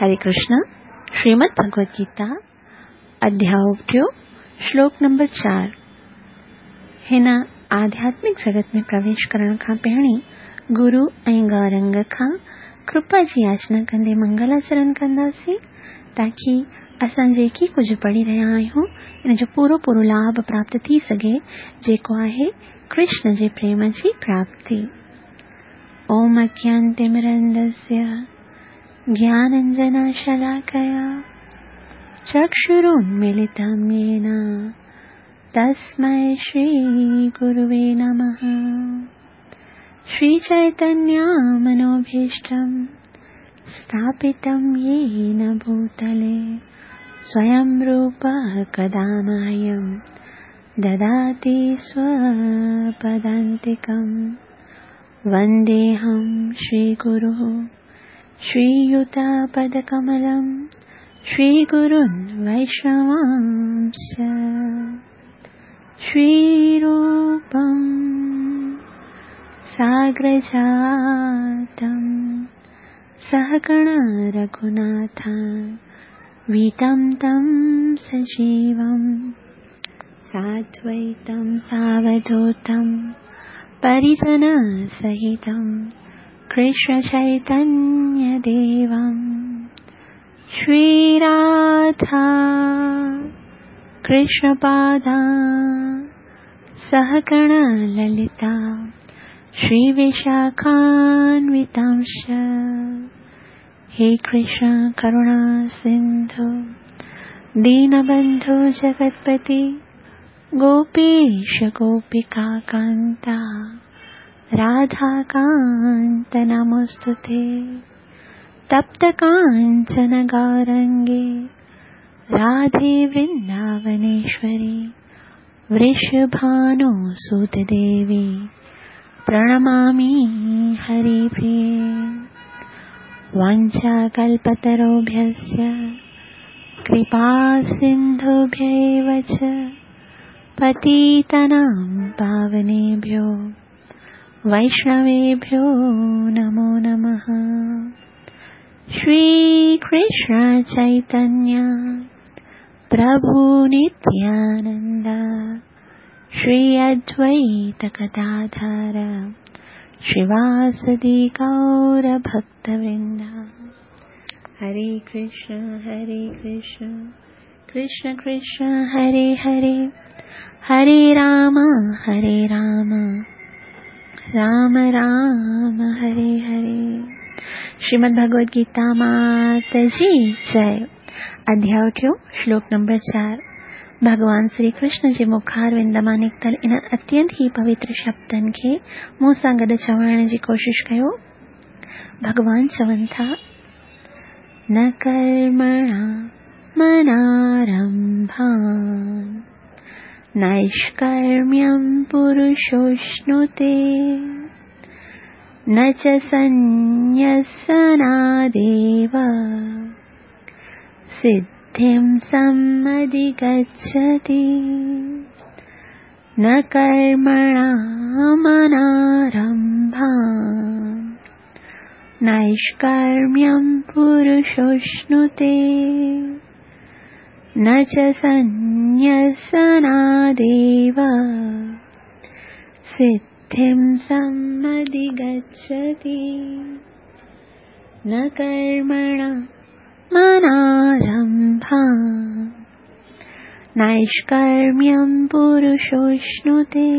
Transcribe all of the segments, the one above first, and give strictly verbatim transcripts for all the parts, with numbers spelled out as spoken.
हरे कृष्ण। श्रीमद् भगवद गीता अध्याय टियों, श्लोक नंबर चार। हिन आध्यात्मिक जगत में प्रवेश करण खां पहिरीं गुरु ऐं गौरंग खां कृपा जी याचना कंदे मंगलाचरण कंदासीं, ताकी असां जेकी कुझु पढ़ी रहिया आहियूं इन जो पूरो पूरो लाभ प्राप्त थी सघे, जेको आहे कृष्ण जे प्रेम जी प्राप्ति। ओम अज्ञानतिमिरन्धस्य ज्ञानाञ्जनशलाकया चक्षुरुन्मीलितं येन तस्मै श्रीगुरुवे नमः। श्रीचैतन्यमनोभीष्टं स्थापितं येन भूतले स्वयं रूपः कदा मह्यं ददाति स्वपदान्तिकं। वन्देऽहं श्रीगुरुः श्रीयुतपदकमलं श्रीगुरुन् वैष्णवांश्च। श्रीरूपं साग्रजातं सहगण रघुनाथान्वितं तं सजीवं साद्वैतं सावधूतं परिजनसहितं कृष्णचैतन्यदेवं। श्रीराधा कृष्णपादा सहगण ललिता श्रीविशाखान्वितांश्च। हे कृष्ण करुणा सिन्धु दीनबन्धु जगत्पति गोपीश गोपिकान्ता राधाकान्त नमोऽस्तुते। तप्त काञ्चन गौरङ्गे राधे वृन्दावनेश्वरी वृषभानुसुते देवी प्रणमामि हरिप्रिये। वाञ्छाकल्पतरुभ्यश्च कृपासिन्धुभ्यैव च पतितानां पावनेभ्यो वैष्णवेभ्यो नमो नमः। श्रीकृष्ण चैतन्य प्रभु नित्यानन्द श्री अद्वैत गदाधर श्रीवासदि गौर भक्तवृन्द। हरे कृष्ण हरे कृष्ण कृष्ण कृष्ण हरे हरे, हरे राम हरे राम राम राम हरे हरे। श्रीमद् भगवद गीता मात जी जय। अध्याय टियों, श्लोक नंबर चार। भॻवान श्री कृष्ण जे मुखारविंद मां निकितल इन्हनि अत्यंत ई पवित्र शब्दनि खे मूं सां गॾु चवण जी कोशिश कयो। भॻवान चवनि था, न कर्मणा मनारंभान् नैष्कर्म्यं पुरुषोऽश्नुते न च सन्न्यसनादेव सिद्धिं समधिगच्छति। न कर्मणा मनारंभान् नैष्कर्म्यं पुरुषोऽश्नुते न च सन्न्यसनादेव सिद्धिं समधिगच्छति। न कर्मणा मनारंभान् नैष्कर्म्यं पुरुषोऽश्नुते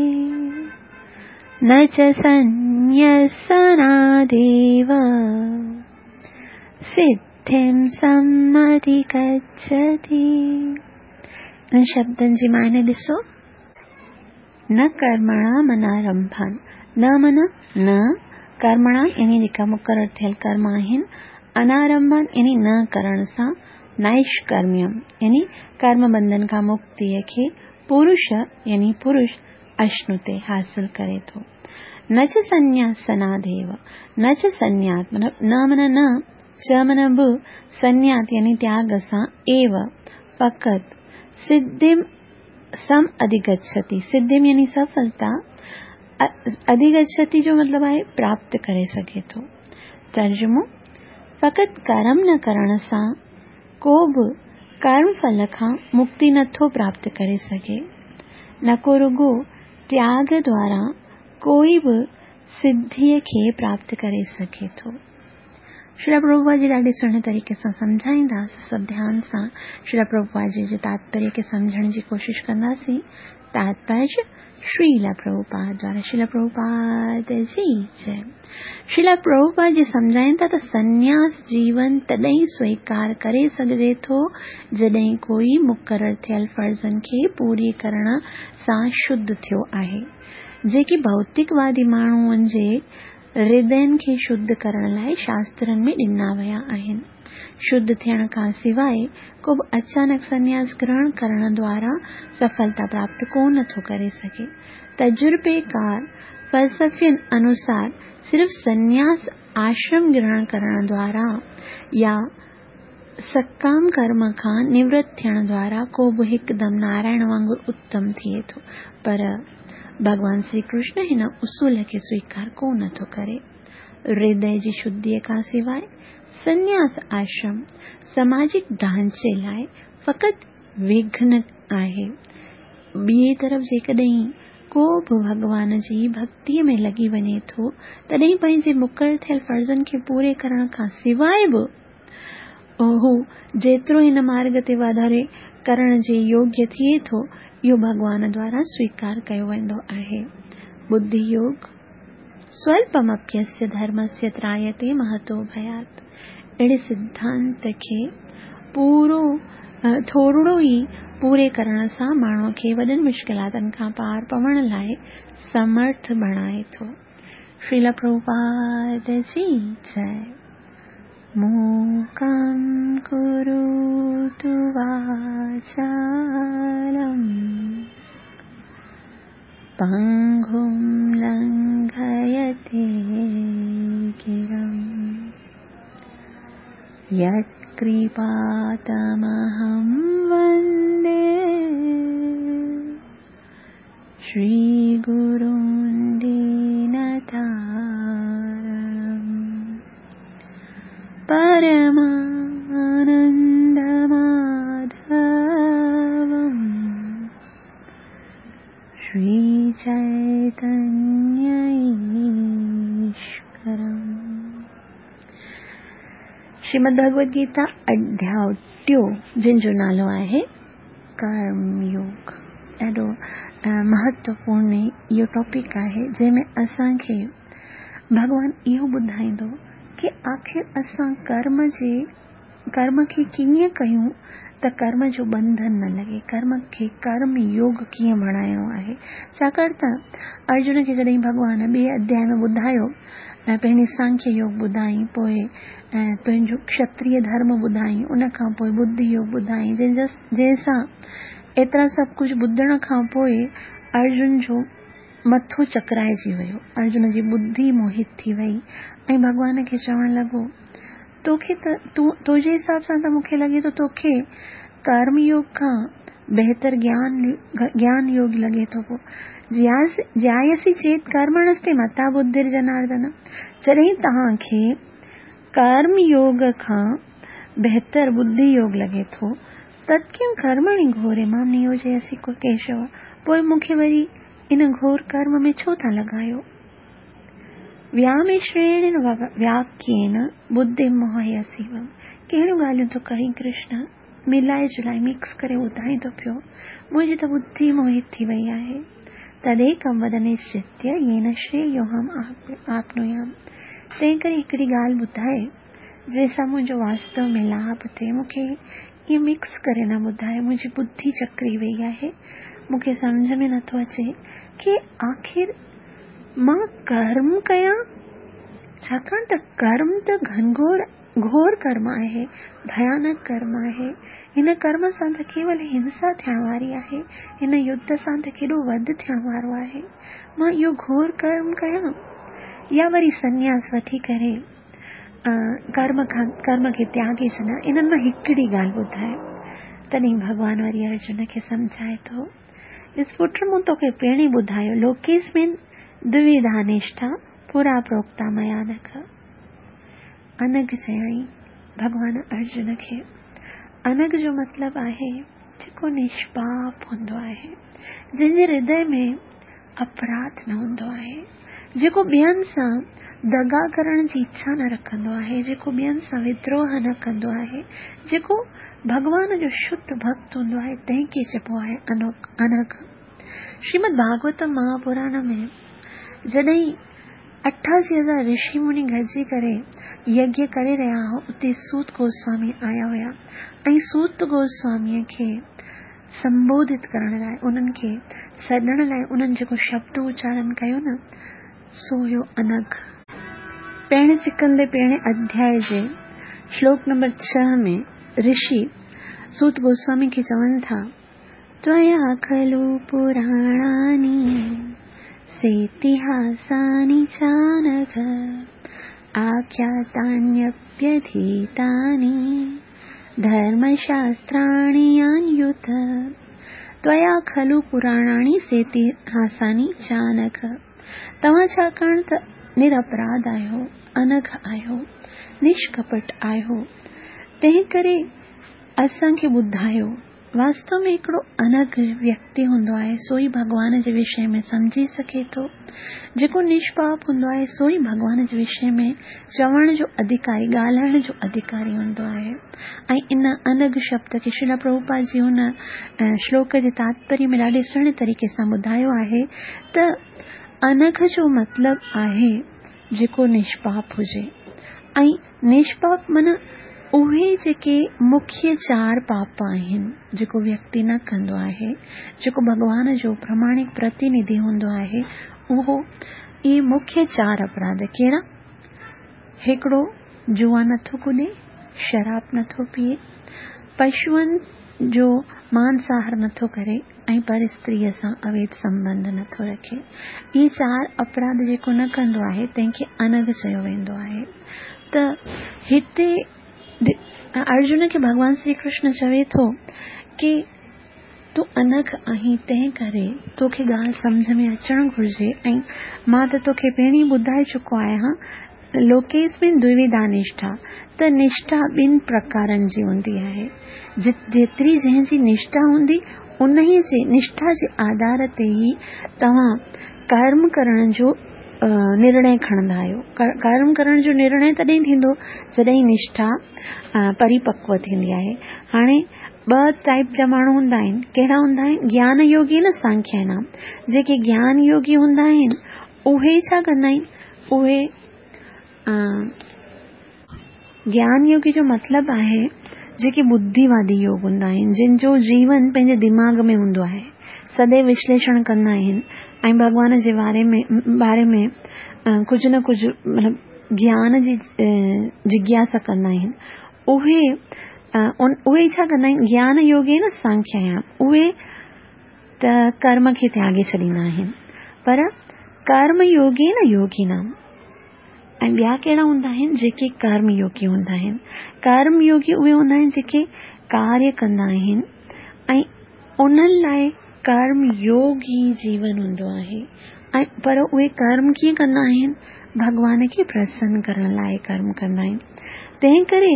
न च सन्न्यसनादेव सिद्धिं समधिगच्छति। इन्हनि शब्दनि जी माने ॾिसो, न कर्मणा मनारंभान्, न माना न, कर्मणा यानी जेका मुक़ररु थियल कर्म आहिनि, अनारंभान् यानी न करण सां, नैष्कर्म्यम यानी कर्म बंधन खां मुक्तीअ खे पुरुष यानी पुरुष अश्नुते हासिल करे थो। न च सन्न्यासनादेव, न च सन्न्यात माना न माना न, च माना बि, सन्न्यात यानी त्याग सां, एव फ़क़ति सिद्धिं सम अधिगच्छति, सिद्धिं यानी सफलता, अधिगच्छति जो मतलब आहे प्राप्त करे सघे थो। तर्जुमो, फ़क़ति कर्म न करण सां को बि कर्म फल खां मुक्ति नथो प्राप्त करे सघे, न को रुगो त्याग द्वारा कोई बि सिद्धीअ खे प्राप्त करे सघे थो। श्रील प्रभुपाद जी ॾाढे सुहिणे तरीक़े सां सम्झाईंदासीं। सभु ध्यान सां श्रील प्रभुपाद जी जे तात्पर्य खे सम्झण जी कोशिशि कंदासीं। तात्पर्य श्रील प्रभुपाद द्वारा। श्रील प्रभुपाद जी जय। श्रील प्रभुपाद जी सम्झाइनि था त सन्यास जीवन तॾहिं स्वीकार करे सघिजे थो जॾहिं कोई मुक़ररु थियल फ़र्ज़नि खे पूरी करण सां शुद्ध थियो आहे, जेके भौतिकवादी माण्हुनि जे हृदयनि खे शुद्ध करण लाइ शास्त्रनि में ॾिना विया आहिनि। शुद्ध थियण खां सिवाइ को बि अचानक सन्यास ग्रहण करण द्वारा सफलता प्राप्त कोन थो करे सघे। तजुर्बेकार फ़लसफ़ियुनि अनुसार सिर्फ़ सन्यास आश्रम ग्रहण करण द्वारा या सकाम कर्म खां निवृत्त थियण द्वारा को बि हिकदमि नारायण वांगुरु उत्तम थिए थो, पर भॻवान श्री कृष्ण हिन उसूल खे स्वीकार कोन थो करे। हृदय जी शुद्धीअ खां सिवाइ सन्यास आश्रम सामाजिक ढांचे लाइ फ़क़ति विघ्न आहे। ॿिए तरफ़ जेकॾहिं को बि भॻवान जी भक्तीअ में लॻी वञे थो तॾहिं पंहिंजे मुक़ररु थियल फ़र्ज़नि खे पूरे करण खां सिवाइ बि हू जेतिरो हिन मार्ग ते वाधारे करण जे योग्य थिए थो, इहो भॻवान द्वारा स्वीकार कयो वेंदो आहे। बुद्धि योग स्वल्पमप्यस्य धर्मस्य त्रायते महतो भयात्। अहिड़े सिद्धांत खे पूरो थोरिड़ो ई पूरे करण सां माण्हूअ खे वॾनि मुश्किलातनि खां पार पवण लाइ समर्थ बणाए थो। श्रील प्रभुपाद जी जय। मूकं करोतु वाचालं पङ्गुं लङ्घयते गिरिं यत्कृपातमहं वन्दे श्रीगुरुं दीनतारणं परमानन्दमाधवं श्रीचैतन्यईश्वरम्। श्रीमद् भगवद गीता अध्याय टियों जंहिंजो नालो आहे कर्मयोग। ॾाढो महत्वपूर्ण इहो टॉपिक आहे जंहिंमें असांखे भॻवान इहो ॿुधाईंदो की आख़िर असां कर्म जे कर्म खे कीअं कयूं त कर्म जो बंधन न लॻे, कर्म खे कर्म योग कीअं बणाइणो आहे। छाकाणि त अर्जुन खे जॾहिं भॻवान ॿिए अध्याय में ॿुधायो, पहिरीं सांख्य योग ॿुधाई, पोइ तुंहिंजो क्षत्रिय धर्म ॿुधाई, उन खां पोइ बुद्धि योग ॿुधाई, जंहिंसां एतिरा सभु कुझु ॿुधण खां पोइ अर्जुन जो मथो चकराइजी वियो, अर्जुन जी बुद्धि मोहित थी वई ऐं भॻवान खे चवण लॻो, तोखे त तूं तुंहिंजे हिसाब सां त मूंखे लॻे थो तोखे कर्म योग खां बहितर ज्ञान ज्ञान योग लॻे थो पियो। ज्यायसि चेत कर्मणस्ते मता बुद्धिर जनार्दन। जॾहिं तव्हांखे कर्म योग खां बहितर बुद्धि योग लॻे थो तत्किं कर्मणि घोरे मां नियोजयसि केशव, पोइ मूंखे वरी इन घोर कर्म में छो था लॻायो। व्यामिश्रेण वाक्येन बुद्धि मोहयसि। कहिड़ियूं ॻाल्हियूं थो करी कृष्ण, मिलाए जुलाए मिक्स करे ॿुधाए थो पियो, मुंहिंजी त बुद्धि मोहित थी वई आहे। तदेकं वद निश्चित्य येन श्रेयोऽहम् आप्नुयाम्। तंहिं करे हिकिड़ी ॻाल्हि ॿुधाए जंहिंसां मुंहिंजो वास्तव में लाभ थिए, मूंखे ईअं मिक्स करे न ॿुधाए, मुंहिंजी बुद्धि चकरी वई आहे, मूंखे सम्झ में नथो अचे की आख़िर मां कर्म कयां, छाकाणि त कर्म त घनघोर घोर कर्म आहे, भयानक कर्म आहे। हिन कर्म सां त केवल हिंसा थियण वारी आहे, हिन युद्ध सां त केॾो वध थियण वारो आहे। मां इहो घोर कर्म कयां या वरी सन्यास वठी करे कर्म खां कर्म खे त्यागे छॾियां, इन्हनि मां हिकिड़ी ॻाल्हि ॿुधाए। तॾहिं भॻवान वरी अर्जुन खे सम्झाए थो, ॾिस पुट मूं तोखे पहिरीं ॿुधायो, लोकेस्मिन् द्विविधा निष्ठा पुरा प्रोक्ता मया नख। अनघ चयाईं भॻवान अर्जुन खे। अनघ जो मतिलबु आहे जेको निष्पाप हूंदो आहे, जंहिंजे हृदय में अपराध न हूंदो आहे, जेको ॿियनि सां दगा करण जी इच्छा न रखंदो आहे, जेको ॿियनि सां विद्रोह न कंदो आहे, जेको भॻवान जो शुद्ध भक्त हूंदो आहे, तंहिंखे चइबो आहे अनघ। श्रीमद् भागवत महापुराण में जॾहिं अठासी हज़ार ऋषि मुनि गॾिजी करे यज्ञ करे रहिया हुआ, उते सूत गोस्वामी आया हुया ऐं सूत गोस्वामीअ खे संबोधित करण लाइ, उन्हनि खे सॾण लाइ उन्हनि जेको शब्द उचारण कयो न, सो हुयो अनघ। पहिरें सिकंदे पहिरें अध्याय जे श्लोक नंबर छह में ऋषि सूत गोस्वामी खे चवनि था, त्वया खलु पुराणानि सेतिहासानि चानघ आख्यातान्यप्यधीतानि धर्मशास्त्राणि यान्युत त्वया खलु पुराणानि सेतिहासानि चानघ। तव्हां छाकाणि त निरपराध आहियो, अनघ आहियो, निष्कपट आहियो, तंहिं करे असांखे ॿुधायो। वास्तव में हिकिड़ो अनघ व्यक्ति हूंदो आहे सो ई भॻवान जे विषय में सम्झी सघे थो। जेको निष्पाप हूंदो आहे सो ई भॻवान जे विषय में चवण जो अधिकारी, ॻाल्हाइण जो अधिकारी हूंदो आहे। ऐं इन अनघ शब्द खे श्रील प्रभुपाद जी हुन श्लोक जे तात्पर्य में ॾाढे सुहिणे तरीक़े सां ॿुधायो आहे त अनघ जो मतिलबु आहे जेको निष्पाप हुजे। ऐं निष्पाप माना उहे जेके मुख्य चार पाप आहिनि जेको व्यक्ति न कंदो आहे, जेको भॻवान जो प्रामाणिक प्रतिनिधि हूंदो आहे, उहो इहे मुख्य चार अपराध कहिड़ा? हिकिड़ो जुआ नथो कुॾे, शराब नथो पीए, पशुअनि जो मांसाहार नथो करे ऐं पर स्त्रीअ सां अवैध संबंध नथो रखे। इहे चार अपराध जेको न कंदो आहे तंहिंखे अनघ चयो वेंदो आहे। त हिते अर्जुन खे भॻवान श्री कृष्ण चवे थो की तूं अनघ आहीं, तंहिं करे तोखे ॻाल्हि सम्झ में अचणु घुरिजे। ऐं मां त तोखे पहिरीं ॿुधाए चुको आहियां, लोकेस्मिन् द्विविधा निष्ठा, त निष्ठा ॿिनि प्रकारनि जी हूंदी आहे। जेतिरी जंहिंजी निष्ठा हूंदी उन जे निष्ठा जे आधार ते ई तव्हां कर्म करण जो निर्णय खणंदा आहियो। कर्म करण जो निर्णय तॾहिं थींदो जॾहिं निष्ठा परिपक्व थींदी आहे। हाणे ॿ टाइप जा माण्हू हूंदा आहिनि। कहिड़ा हूंदा आहिनि? ज्ञान योगी न सांख्य नाम। जेके ज्ञान योगी हूंदा आहिनि उहे छा कंदा आहिनि? उहे ज्ञान योगी जो मतिलबु आहे जेके बुद्धिवादी योग हूंदा आहिनि, जिन जो जीवन पंहिंजे दिमाग़ में हूंदो आहे, सदैव विश्लेषण कंदा आहिनि ऐं भॻवान जे बारे में बारे में कुझु न कुझु मतिलबु ज्ञान जी जिज्ञासा कंदा आहिनि। उहे उहे छा कंदा आहिनि? ज्ञान योगे न सांख्यायाम, उहे त कर्म खे त्यागे छॾींदा आहिनि, पर कर्म योगे न योगिनाम। ऐं ॿिया कहिड़ा हूंदा आहिनि? जेके कर्म योगी हूंदा आहिनि। कर्म योगी उहे हूंदा आहिनि जेके कार्य कंदा आहिनि ऐं उन्हनि लाइ कर्म योग ई जीवन हूंदो आहे। ऐं पर उहे कर्म कीअं कंदा आहिनि? भॻवान खे प्रसन्न करण लाइ कर्म कंदा आहिनि। तंहिं करे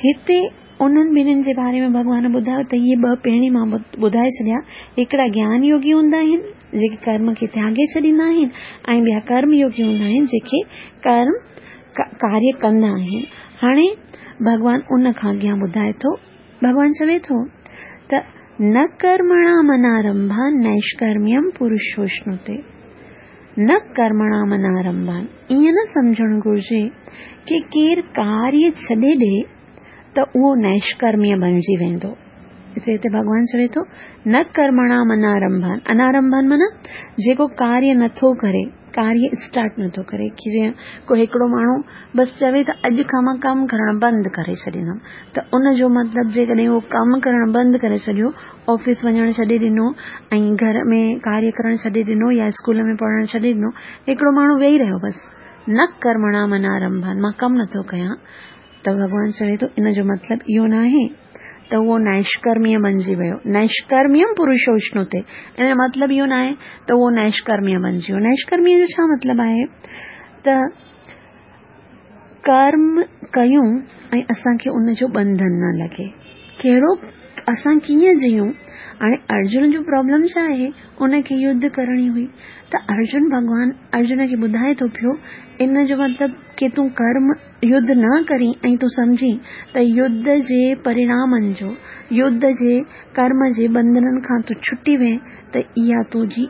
हिते उन्हनि ॿिन्हिनि जे बारे में भॻवान ॿुधायो त इहे ॿ पहिरीं मां ॿुधाए छॾिया। हिकिड़ा ज्ञान योगी हूंदा आहिनि जेके कर्म खे त्यागे छॾींदा आहिनि ऐं ॿिया कर्म योगी हूंदा आहिनि जेके कर्म कार्य कंदा आहिनि। हाणे भॻवान उन खां अॻियां ॿुधाए थो, भॻवान चवे थो त न कर्मणाम अनारंभान नैष्कर्म्यम पुरुषोष्णुते। न कर्मणाम अनारंभान, ईअं न सम्झणु घुरिजे की केरु कार्य छॾे ॾिए त उहो नैष्कर्म्य बणिजी वेंदो। हिते भॻवान चवे थो न कर्मणाम अनारंभान। अनारंभान माना जेको कार्य नथो करे, कार्य स्टार्ट नथो करे। की जीअं को हिकिड़ो माण्हू बसि चवे त अॼु खां मां कमु करणु बंदि करे छॾींदमि, त उन जो मतिलबु जेकॾहिं उहो कमु करणु बंदि करे छॾियो, ऑफिस वञणु छॾे ॾिनो ऐं घर में कार्य करणु छॾे ॾिनो या स्कूल में पढ़णु छॾे ॾिनो, हिकिड़ो माण्हू वेही रहियो बसि, न कर्मणाम अनारंभान, मां कमु नथो कयां, त भॻवान चवे थो इन जो मतिलबु इहो न आहे त उहो नैष्कर्म्य बणिजी वियो। नैष्कर्म्यम पुरुषोष्णुते, इन जो मतिलबु इहो न आहे त उहो नैष्कर्म्य बणिजी वियो। नैष्कर्म्य जो छा मतिलबु आहे? त ڪرم ڪيون ۽ اسان کي ان جو ٻنڌن نه لڳي. ڪهڙو اسان ڪيئن جيئون؟ هاڻي ارجن جو پرابلم ڇا آهي؟ ان کي يڌ ڪرڻي هئي ته ارجن ڀڳوان ارجن کي ٻڌائي ٿو پيو ان جو مطلب ڪه تون ڪرم يڌ نه ڪرين ۽ تون سمجهين ته يڌ جي پرڻامن جو، يڌ جي ڪرم جي ٻنڌنن کان تون ڇٽي وئين ته اها تنهنجي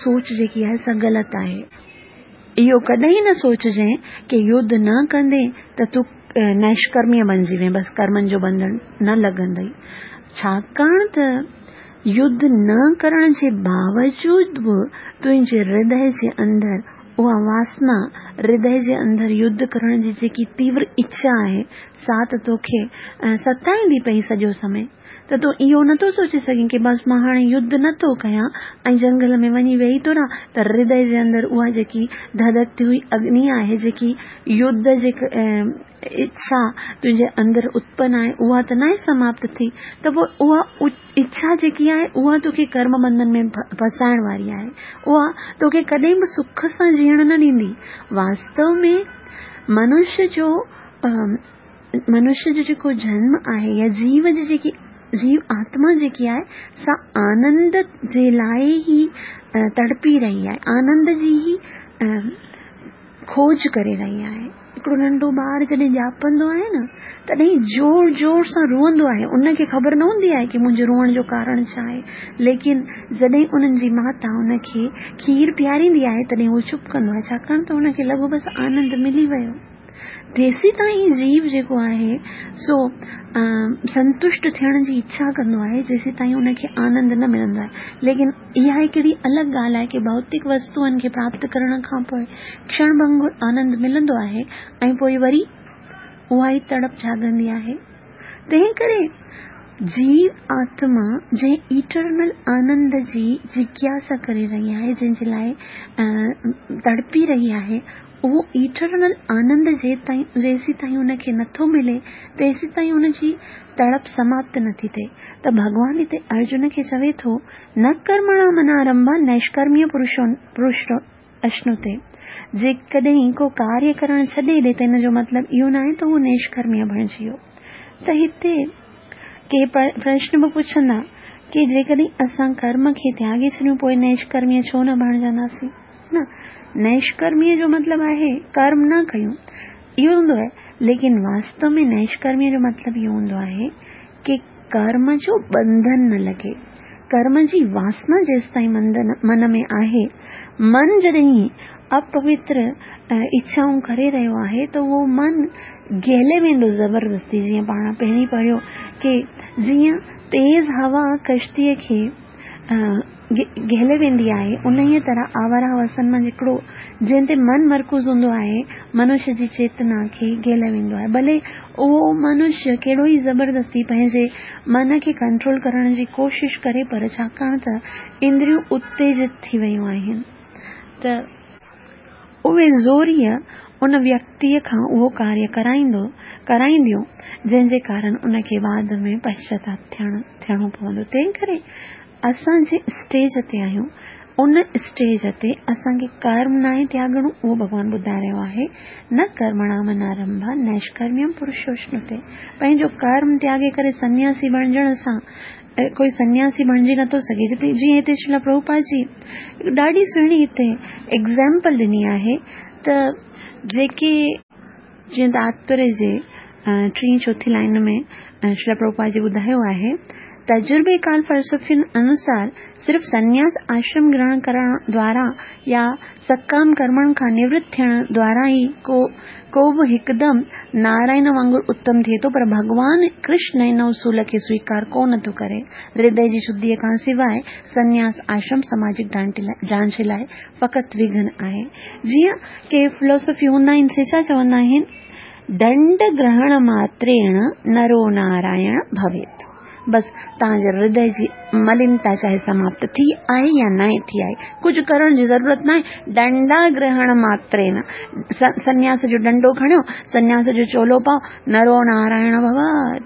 سوچ جيڪي آهي سا غلط آهي. اهو ڪڏهن نه سوچجانءِ ڪه يڌ نه ڪندين ته تون نيشڪرميه بڻجي وئين، بس ڪرمن جو ٻنڌن نه لڳندئي. ڇاڪاڻ ته يڌ نه ڪرڻ جي باوجود به تنهنجي هردي جي اندر اها واسنا، هردي جي اندر يڌ ڪرڻ جي جيڪي تيور اڇا آهي سا ته توکي ستائيندي پئي سڄو سمي. ته تون اهو نٿو سوچي سگهين ڪه بس مان هاڻي يڌ نٿو ڪيان ۽ جنگل ۾ وڃي ويهي ٿو رهان ته هردي جي اندر اها جيڪي ڌڌڪتي هئي اگني آهي، جيڪي يڌ جي اڇا تنهنجي اندر اتپن آهي اها ته ناهي سماپت ٿي، ته پوءِ اها اڇا جيڪي آهي اها توکي ڪرم ٻنڌن ۾ ڦسائڻ واري آهي، اها توکي ڪڏهن به سک سان جيئڻ نه ڏيندي. واستو ۾ منشيه جو منشيه جو جيڪو جنم آهي يا جيو جي جيڪي جيو آتما جيڪي آهي سا آنند جي لاءِ ئي تڙپي رهي آهي، آنند جي ئي کوج ڪري رهي آهي. هڪڙو ننڍو ٻار جڏهن ڄاپندو آهي نه تڏهن زور زور سان روئندو آهي، ان کي خبر نه هوندي آهي ڪه منهنجي روئڻ جو ڪارڻ ڇا آهي، ليڪن جڏهن انهن جي ماتا ان کي کير پياريندي آهي تڏهن اهو چپ ڪندو آهي، ڇاڪاڻ ته ان کي لڳو بس آنند ملي ويو. تيسين تائين جيو جيڪو آهي سو سنتشٽ ٿيڻ جي اڇا ڪندو آهي جيسين تائين ان کي آنند نه ملندو آهي. ليڪن اها هڪڙي الڳ ڳالهه آهي ڪه ڀوتڪ وستوئن کي پراپت ڪرڻ کان پوءِ ڪشڻ ڀنگر آنند ملندو آهي ۽ پوءِ وري اها ئي تڙپ جاڳندي آهي. تنهن ڪري جيو آتما جنهن ايٽرنل آنند جي جگياسا ڪري رهي آهي، جنهن جي لاءِ تڙپي رهي آهي، اهو ايٽرنل آنند جي تائين جيسين تائين ان کي نٿو ملي تيسين تائين ان جي تڙپ سماپت نٿي ٿئي. ته ڀڳوان هتي ارجن کي چوي ٿو نه ڪرمڻا منارمڀا نيشڪرميه پرشو پرش اشنوتي. جيڪڏهن ڪو ڪاريه ڪرڻ ڇڏي ڏي ته هن جو مطلب اهو نه آهي ته اهو نيشڪرميه بڻجي ويو. ته هتي ڪي پرشن به پڇندا ڪه جيڪڏهن اسان ڪرم کي تياڳي ڇڏيون پوءِ نيشڪرميه ڇو نه بڻجنداسين؟ نه، نيشڪرميه جو مطلب آهي ڪرم نه ڪيون اهو هوندو آهي، ليڪن واستو ۾ نيشڪرميه جو مطلب اهو هوندو آهي ڪه ڪرم جو ٻنڌن نه لڳي، ڪرم جي واسنا جيسين تائين من ۾ آهي، من جڏهن اپوتر اڇائون ڪري رهيو آهي ته اهو من گهلي ويندو زبردستي. جيئن پاڻ پهرين پڙهيو ڪه جيئن تيز هوا ڪشتيءَ کي گهلي ويندي آهي، انهيءَ طرح آواره هوسن مان هڪڙو جنهن تي من مرڪوز هوندو آهي منشيه جي چيتنا کي گهلي ويندو آهي. ڀلي اهو منشيه ڪهڙو ئي زبردستي پنهنجي من کي ڪنٽرول ڪرڻ جي ڪوشش ڪري، پر ڇاڪاڻ ته اندريون اتيجت ٿي ويون آهن ته اهي زوريءَ ان ويڪتيءَ کان اهو ڪاريه ڪرائيندو ڪرائينديون جنهن جي ڪارڻ ان کي بعد ۾ پشچاتاپ ٿيڻ ٿيڻو پوندو. تنهن ڪري اسان جنهن اسٽيج تي آهيون ان اسٽيج تي اسان کي ڪرم ناهي تياڳڻو، اهو ڀڳوان ٻڌائي رهيو آهي. نه ڪرمڻا منارمڀا نيشڪرميم پرشوشنوتي. پنهنجو ڪرم تياڳي ڪري سنياسي بڻجڻ سان ڪوئي سنياسي بڻجي نٿو سگهي. جتي جيئن هتي شريلا پرڀوپاد جي ڏاڍي سهڻي هتي ايگزامپل ڏني آهي ته جيڪي جيئن تاتپريه جي ٽين چوٿين لائن ۾ شريلا پرڀوپاد جي ٻڌايو آهي، تجربيڪار فلسفين انوسار صرف سنياس آشرم گرهڻ ڪرڻ دوارا يا سڪام ڪرمن کان نورت ٿيڻ دوارا ئي ڪو ڪو به هڪدم نارائڻ وانگر اتم ٿئي ٿو، پر ڀڳوان ڪرشن هن اصول کي سويڪار ڪونه ٿو ڪري. هردي جي شڌيءَ کان سواءِ سنياس آشرم سماجڪ ڍانچي لاءِ فقط وگهن آهي. جيئن ڪي فلاسافي هوندا آهن سي ڇا چوندا آهن، دنڊ گرهڻ ماتريڻ نرو نارائڻ ڀويت. बसि तव्हांजे हृदय जी मलिनता चाहे समाप्त थी आहे या न थी आहे, कुझु करण जी ज़रूरत न आहे। डंडा ग्रहण मात्रेण, सन्यास जो डंडो खणियो, सन्यास जो चोलो पाओ, नरो नारायण भव,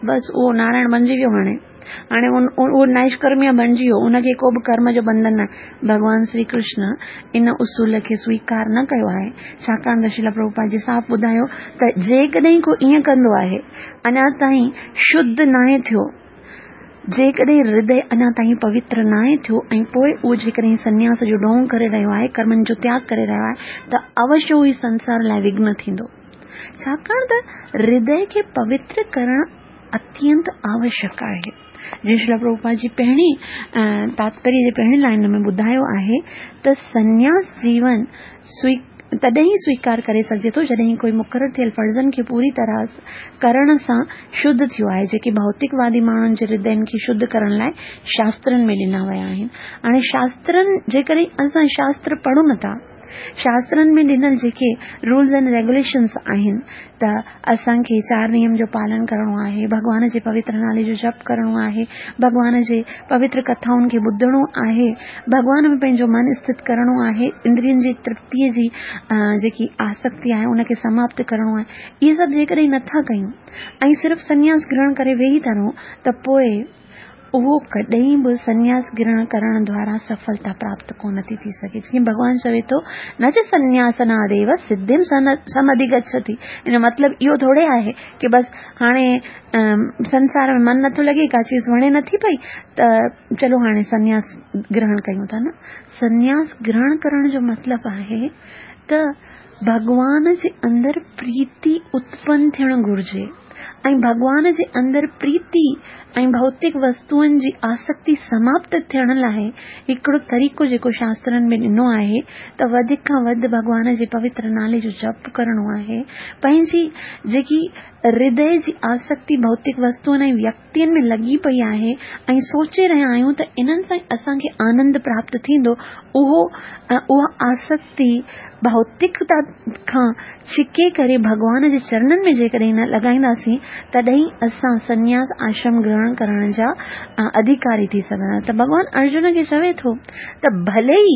बसि उहो नारायण बणिजी वियो। हाणे हाणे उहो नैष्कर्म्य बणिजी वियो, उनखे को बि कर्म जो बंधन न आहे। भॻवान श्री कृष्ण इन उसूल खे स्वीकार न कयो आहे, छाकाणि त श्रील प्रभुपाद जी साफ़ ॿुधायो त जेकॾहिं को ईअं कंदो आहे, अञा ताईं शुद्ध नाहे थियो, जेकॾहिं हृदय अञा ताईं पवित्र नाहे थियो ऐं पोइ उहो जेकॾहिं सन्यास जो ढोंग करे रहियो आहे, कर्मनि जो त्याग करे रहियो आहे, त अवश्य उहो संसार लाइ विघ्न थींदो। छाकाणि त हृदय खे पवित्र करणु अत्यंत आवश्यक आहे। जीअं श्रील प्रभुपाद जी पहिरीं तात्पर्य जे पहिरीं लाइन में ॿुधायो आहे त सन्यास जीवन स्वी तॾहिं ई स्वीकार करे सघिजे थो जॾहिं कोई मुक़ररु थियल फ़र्ज़नि खे पूरी तरह करण सां शुद्ध थियो आहे, जेके भौतिकवादी माण्हुनि जे हृदयनि खे शुद्ध करण लाइ शास्त्रनि में ॾिना विया आहिनि। हाणे शास्त्रनि जेकॾहिं असां शास्त्र पढ़ूं नथा, शास्त्रनि में ॾिनल जेके रूल्स एंड रेगुलेशन्स आहिनि त असांखे चारि नियम जो पालन करिणो आहे, भॻवान जे पवित्र नाले जो जप करिणो आहे, भॻवान जे पवित्र कथाउनि खे ॿुधणो आहे, भॻवान में पंहिंजो मन स्थित करिणो आहे, इंद्रियनि जी तृप्तीअ जी जेकी आसक्ति आहे उनखे समाप्त करिणो आहे। इहे सभु जेकॾहिं नथा कयूं ऐं सिर्फ़ु सन्यास ग्रहण करे वेही था रहूं त पोइ उहो कॾहिं बि सन्यास ग्रहण करण द्वारा सफलता प्राप्त कोन थी थी सघे। जीअं भॻवान चवे थो, न च सन्यासनादेव सिद्धिं समधिगच्छति। इन मतिलबु इहो थोरे आहे की बसि हाणे संसार में मन नथो लॻे, का चीज़ वणे नथी पई त चलो हाणे सन्यास ग्रहण कयूं था। न, सन्यास ग्रहण करण जो मतिलबु आहे त भॻवान जे अंदरि प्रीति उत्पन्न थियणु घुरिजे ऐं भॻवान जे अंदरि प्रीति ऐं भौतिक वस्तुअनि जी आसक्ति समाप्त थियण लाइ हिकिड़ो तरीक़ो जेको शास्त्रनि में ॾिनो आहे त वधीक खां वधि भॻवान जे पवित्र नाले जो जप करिणो आहे, पंहिंजी जेकी हृदय जी आसक्ति भौतिक वस्तुअनि ऐं व्यक्तियुनि में लॻी पई आहे ऐं सोचे रहिया आहियूं त इन्हनि सां असांखे आनंद प्राप्त थींदो, उहो उहा आसक्ति भौतिकता खां छिके करे भॻवान जे चरणनि में जेकॾहिं न लॻाईंदासीं तॾहिं असां सन्यास आश्रम ग्रहण करण जा अधिकारी थी सघंदा। त भॻवान अर्जुन खे चवे थो त भले ई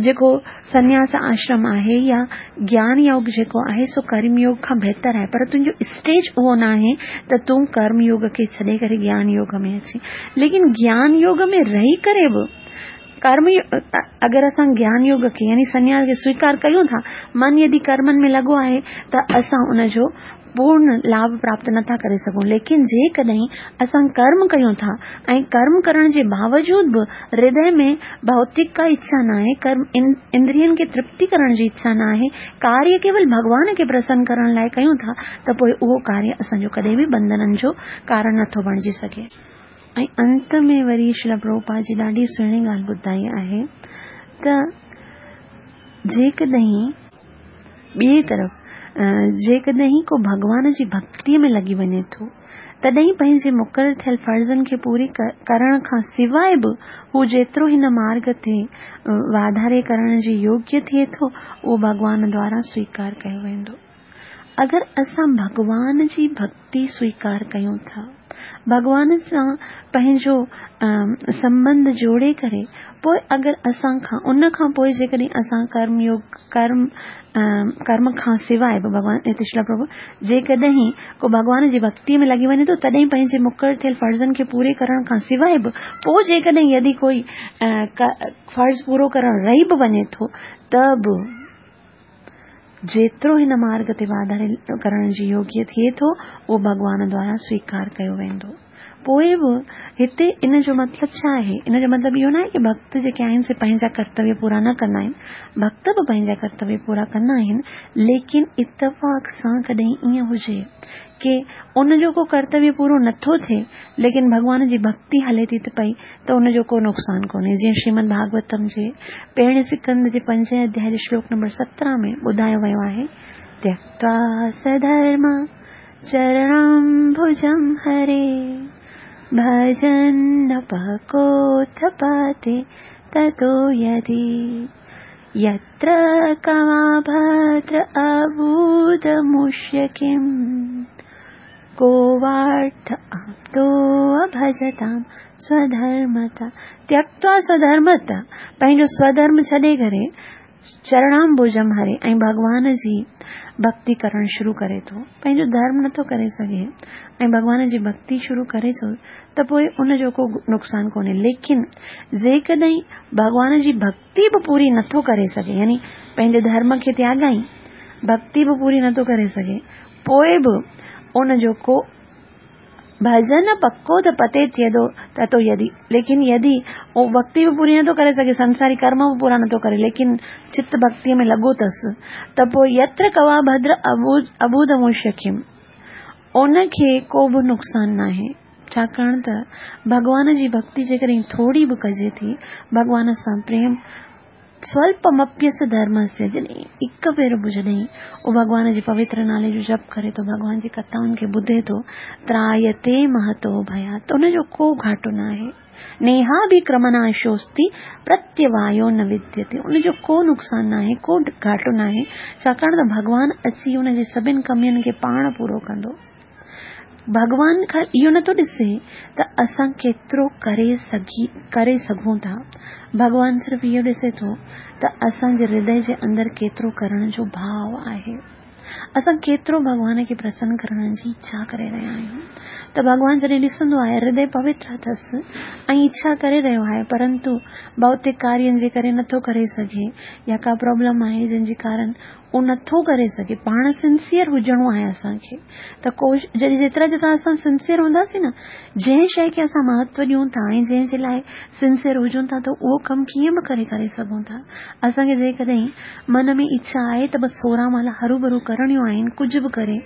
जेको सन्यास आश्रम आहे या ज्ञान योग जेको आहे सो कर्म योग खां बहितर आहे, पर तुंहिंजो स्टेज उहो न आहे त तूं कर्म योग खे छॾे करे ज्ञान योग में अची। लेकिन ज्ञान योग में रही करे बि कर्म अगरि असां ज्ञान योग खे यानी सन्यास खे स्वीकार कयूं था, मन यदि कर्मनि में लॻो आहे त असां उनजो पूर्ण लाभ प्राप्त नथा करे सघूं। लेकिन जेकॾहिं असां कर्म कयूं था ऐं कर्म करण जे बावजूद बि हृदय में भौतिक का इच्छा न आहे, कर्म इंद्रियनि खे तृप्ति करण जी इच्छा न आहे, कार्य केवल भॻवान खे प्रसन्न करण लाइ कयूं था त पोइ उहो कार्य असांजो कॾहिं बि बंधननि जो कारण नथो बणिजी सघे। ऐं अंत में वरी श्रील प्रभुपाद जी ॾाढी सुहिणी ॻाल्हि ॿुधाई आहे त जेकॾहिं ॿिए तरफ़ जेकॾहिं को भॻवान जी भक्तीअ में लॻी वञे थो तॾहिं पंहिंजे मुक़ररु थियल फ़र्ज़नि खे पूरी करण खां सवाइ बि हू जेतिरो हिन मार्ग ते वाधारे करण जे योग्य थिए थो उहो भॻवान द्वारा स्वीकार कयो वेंदो। अगरि असां भॻवान जी भक्ति स्वीकार कयूं था, भॻवान सां पंहिंजो संबंध जोड़े करे पोइ अगरि असां खां उन खां पोइ जेकॾहिं असां कर्म योग कर्म कर्म खां सवाइ बि भॻवान श्रील प्रभु जेकॾहिं को भॻवान जी भक्तीअ में लॻी वञे थो तॾहिं पंहिंजे मुक़ररु थियल फ़र्ज़नि खे पूरे करण खां सवाइ बि पोइ जेकॾहिं यदि कोई फ़र्ज़ पूरो करण रही बि वञे थो त बि जेतिरो हिन मार्ग ते वाधारे करण जी योग्य थिए थो उहो भॻवान द्वारा स्वीकार कयो वेंदो। पोइ बि हिते इन जो मतिलबु छा आहे? इन जो मतिलबु इहो न आहे की भक्त जेके आहिनि से पंहिंजा कर्तव्य पूरा न कंदा आहिनि, भक्त बि पंहिंजा कर्तव्य पूरा कंदा आहिनि, लेकिन इतफ़ाक़ सां कॾहिं ईअं हुजे की उनजो को कर्तव्य पूरो नथो थिए लेकिन भॻवान जी भक्ति हले थी त पई त उनजो को नुक़सानु कोन्हे। जीअं श्रीमद भागवतम जे पहिरें स्कंद जे पंजे अध्याय जे श्लोक नंबर सत्रहं में ॿुधायो वियो आहे, त्यक्त्वा सधर्म चरणाम्बुजं हरे भजन्नपकोऽथपाते ततो यदि यत्र कमाभद्र अबूदमुष्य किम् को वार्थ आप्तो भजतां स्वधर्मता। त्यक्त्वा स्वधर्मता, पंहिंजो स्वधर्म छॾे करे चरणांबुजम हरे, ऐं भॻवान जी भक्ति करणु शुरू करे थो। पंहिंजो धर्म नथो करे सघे ऐं भॻवान जी भक्ति शुरू करे थो त पोइ उनजो को नुक़सानु कोन्हे। लेकिन जेकॾहिं भॻवान जी भक्ति बि पूरी नथो करे सघे, यानी पंहिंजे धर्म खे त्यागाई भक्ति बि पूरी नथो करे सघे, पोइ बि उनजो को भजन पक्को त पते थिए थो त तो यदि, लेकिन यदि उहो भक्ति बि पूरी नथो करे सघे, संसारी कर्म बि पूरा नथो करे, लेकिन चित भक्तिअ में लॻो अथसि त पोइ यत्र कवा भद्र अबूदमुष्यखिम, उनखे को बि नुक़सानु नाहे। छाकाणि त भॻवान जी भक्ति जेकॾहिं थोरी बि कजे थी, भॻवान सां प्रेम स्वल्पमप्यस्य धर्मस्य, जॾहिं हिकु भेरो बि जॾहिं उहो भॻवान जे पवित्र नाले जो जप करे थो, भॻवान जी कथाउनि खे ॿुधे थो, त्रायते महतो भयात्, त उनजो को घाटो न आहे। नेहा बि क्रमनाशोस्ति प्रत्यवायो न विद्यते, उनजो को नुक़सानु न आहे, को घाटो न आहे, छाकाणि त भॻवान अची उनजे सभिनि कमियुनि खे पाण पूरो कंदो। भॻवान खां इहो नथो ॾिसे त असां केतिरो करे सघी करे सघूं था, भॻवान सिर्फ़ु इहो ॾिसे थो त असांजे हृदय जे अंदरि केतिरो करण जो भाव आहे, असां केतिरो भॻवान खे प्रसन्न करण जी इच्छा करे रहिया आहियूं। त भॻवान जॾहिं ॾिसंदो आहे हृदय पवित्र अथसि ऐं इच्छा करे रहियो आहे, परंतु भौतिक कार्यनि जे करे नथो करे सघे या का प्रॉब्लम आहे जंहिंजे कारण उहो नथो करे सघे, पाण सिंसियर हुजणो आहे असांखे। त कोशिश जॾहिं जेतिरा जेतिरा असां सिंसियर हूंदासीं न, जंहिं शइ खे असां महत्व ॾियूं था ऐं जंहिंजे लाइ सिंसियर हुजूं था, त उहो कमु कीअं बि करे करे सघूं था। असांखे जेकॾहिं मन में इच्छा आहे त बसि सोरहं माला हरू भरू करणियूं आहिनि, कुझु बि करे,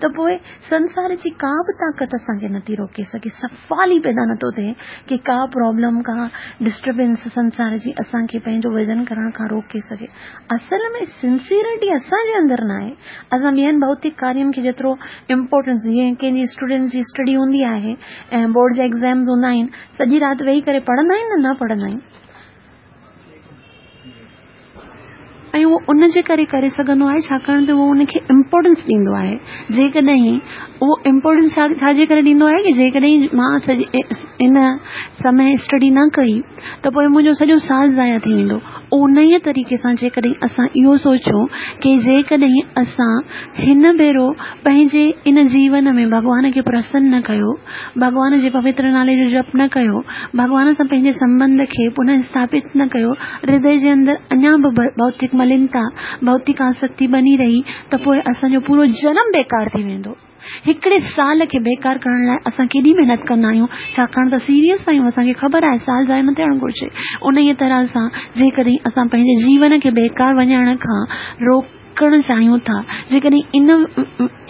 त पोइ संसार जी का बि ताक़त असांखे नथी रोके सघे। सवाल ई पैदा नथो थिए की का प्रॉब्लम, का डिस्टर्बेंस संसार जी असांखे पंहिंजो भॼन करण खां रोके सघे। असल में सिंसियरिटी असांजे अंदरि न आहे। असां ॿियनि भौतिक कार्यनि खे जेतिरो इम्पोर्टेंस, जीअं कंहिंजी स्टूडेंट जी स्टडी हूंदी आहे ऐं बोर्ड जा एग्ज़ाम्स हूंदा आहिनि, सॼी राति वेही करे पढ़ंदा आहिनि न न पढ़ंदा आहिनि, ऐं उहो उनजे करे करे सघंदो आहे छाकाणि त उहो उनखे इम्पोर्टेंस ॾींदो आहे। जेकॾहिं उहो इम्पोर्टेंस छा छाजे करे ॾींदो आहे की जेकॾहिं मां सॼी इन समय स्टडी न कई त पोइ मुंहिंजो सॼो साल ज़ाया थी वेंदो। उन ई तरीक़े सां जेकॾहिं असां इहो सोचूं की जेकॾहिं असां हिन भेरो पंहिंजे इन जीवन में भॻवान खे प्रसन्न न कयो, भॻवान जे पवित्र नाले जो जप न कयो, भॻवान सां पंहिंजे संबंध खे पुनः स्थापित न कयो, हृदय जे अंदरि अञा बि भौतिक मलिनता, भौतिक आसक्ति बणी रही, त पोइ असांजो पूरो जनम बेकार थी वेंदो। हिकिड़े साल खे बेकार करण लाइ असां केॾी महिनत कंदा आहियूं, छाकाणि त सीरियस आहियूं, असांखे ख़बर आहे साल ज़ाया न थियणु घुरिजे। उन ई तरह सां जेकॾहिं असां पंहिंजे जीवन खे बेकार वञण खां रोकणु चाहियूं था, जेकॾहिं इन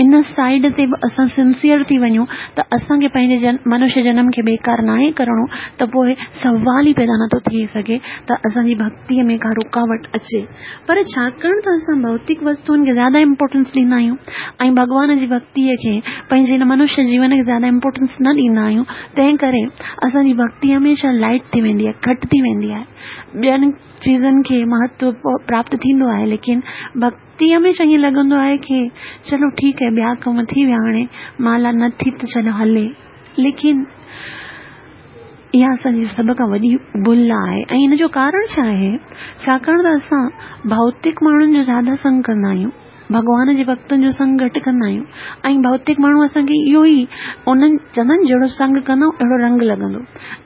इन साइड ते बि असां सिंसियर थी वञूं त असांखे पंहिंजे जन मनुष्य जनम खे बेकार नाहे करिणो, त पोइ सवाल ई पैदा नथो थी सघे त असांजी भक्तीअ में का रुकावट अचे। पर छाकाणि त असां भौतिक वस्तुनि खे ज़्यादा इम्पोर्टेंस ॾींदा आहियूं ऐं भॻवान जी भक्तीअ खे, पंहिंजे हिन मनुष्य जीवन खे ज़्यादा इम्पोर्टेंस न ॾींदा आहियूं, तंहिं करे असांजी भक्ति हमेशह लाइट थी वेंदी आहे, घटि थी वेंदी आहे। ॿियनि चीज़नि खे महत्व प्राप्त थींदो आहे, लेकिन भक्ति हमेशह ईअं लॻंदो आहे की चलो ठीकु आहे, ॿिया कम थी विया, हाणे माला न थी त चलो हले। लेकिन इहा असांजी सभ खां वॾी भुल आहे। ऐं हिन जो कारण छा आहे? छाकाणि त असां भौतिक माण्हुनि जो ज़्यादा संग कंदा आहियूं, भॻवान जे भक्तनि जो संग घटि कंदा आहियूं। ऐं भौतिक माण्हू असांखे इहो ई उन्हनि चवंदा आहिनि जहिड़ो संग कंदो अहिड़ो रंग लॻंदो,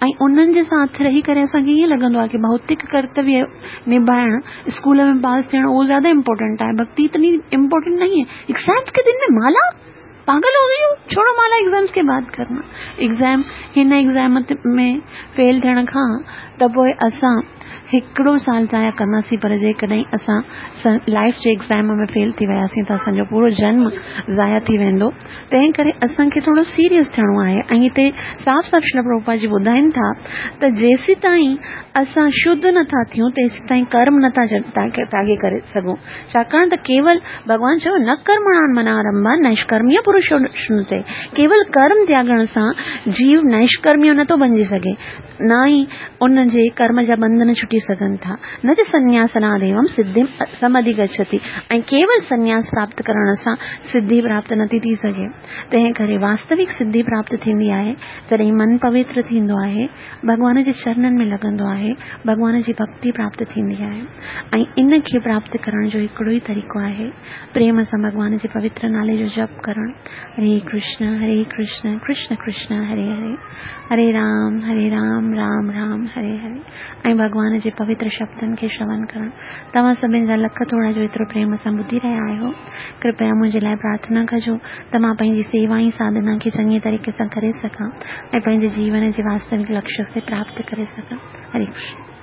ऐं उन्हनि जे साथ रही करे असांखे ईअं लॻंदो आहे की भौतिक कर्तव्य निभाइण, स्कूल में पास थियणु उहो ज़्यादा इम्पोर्टेंट आहे, भक्ति इतनी इम्पोर्टेंट नहीं है। एग्ज़ाम्स के दिन में माला, पागल हो गई हो, छोड़ो माला, एग्ज़ाम्स के बाद करना। एग्ज़ाम हिन एग्ज़ाम में फेल थियण खां त पोइ असां हिकिड़ो साल ज़ाया कंदासीं, पर जेकॾहिं असां लाइफ जे एग्ज़ाम में फेल थी वियासीं त असांजो पूरो जन्म ज़ाया थी वेंदो। तंहिं करे असांखे थोरो सीरियस थियणो आहे। ऐं हिते साफ़ साफ़ श्रील प्रभुपाद जी ॿुधाइनि था त जेसीं ताईं असां शुद्ध नथा थियूं तेसीं ताईं कर्म नथा त्यागे करे सघूं। छाकाणि त केवल भॻवान चयो न कर्मणां मनारंभ नैष्कर्म्य पुरुषो श्नुते, केवल कर्म त्यागण सां जीव नैष्कर्म्य नथो बणिजी सघे। نه ئي ان جي ڪرم جا ٻنڌن ڇٽي سگهن ٿا. نه چ سنياسناديوم سڌيم سمڌيگڇتي ۽ ڪيول سنياس پراپت ڪرڻ سان سڌي پراپت نٿي ٿي سگهي. تنهن ڪري واستوڪ سڌي پراپت ٿيندي آهي جڏهن من پوتر ٿيندو آهي، ڀڳوان جي چرنن ۾ لڳندو آهي، ڀڳوان جي ڀڳتي پراپت ٿيندي آهي ۽ ان کي پراپت ڪرڻ جو هڪڙو ئي طريقو آهي پريم سان ڀڳوان جي پوتر نالي جو جپ ڪرڻ. هري ڪرشن هري ڪرشن ڪرشن ڪرشن هري هري هري رام هري رام رام رام هري هري ۽ ڀڳوان جي پوتر شبدن کي شرون ڪرڻ. توهان سڀني جا لک ٿورا جو ايترو پريم سان ٻڌي رهيا آهيو. ڪرپيا منهنجي لاءِ پرارٿنا ڪجو ته مان پنهنجي سيوا ۽ ساڌنا کي چڱي طريقي سان ڪري سگهان ۽ پنهنجي جيون جي واستوڪ لڪشيه کي پراپت ڪري سگهان. هري ڪرشن.